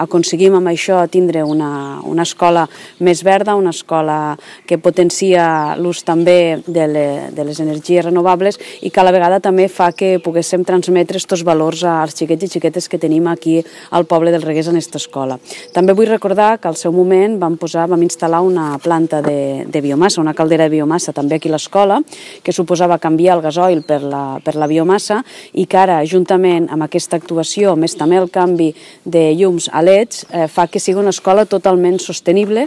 Aconseguim amb això tindre una escola més verda, una escola que potencia l'ús també de les energies renovables i que a la vegada també fa que poguéssim transmetre aquests valors als xiquets i xiquetes que tenim aquí al poble del Reguers en aquesta escola. També vull recordar que al seu moment vam instal·lar una planta de biomassa, una caldera de biomassa també aquí a l'escola, que suposava canviar el gasoil per la biomassa i que ara, juntament amb aquesta actuació, més també el canvi de llums a LEDs, fa que sigui una escola totalment sostenible